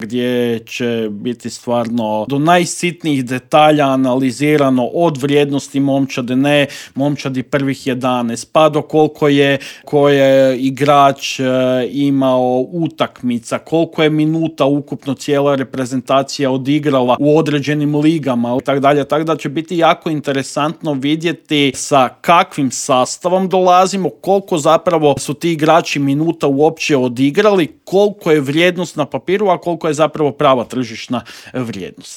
gdje će biti stvarno do najsitnijih detalja analizirano od vrijednosti momčadi prvih 11, pa do koliko je igrač imao utakmica, koliko je minuta ukupno cijela reprezentacija odigrala u određenim ligama i tako dalje. Tako da će biti jako interesantno vidjeti sa kakvim sastavom dolazimo, koliko zapravo su ti igrači minuta uopće odigrali, koliko je vrijednost na papiru, a koliko je zapravo prava tržišna vrijednost.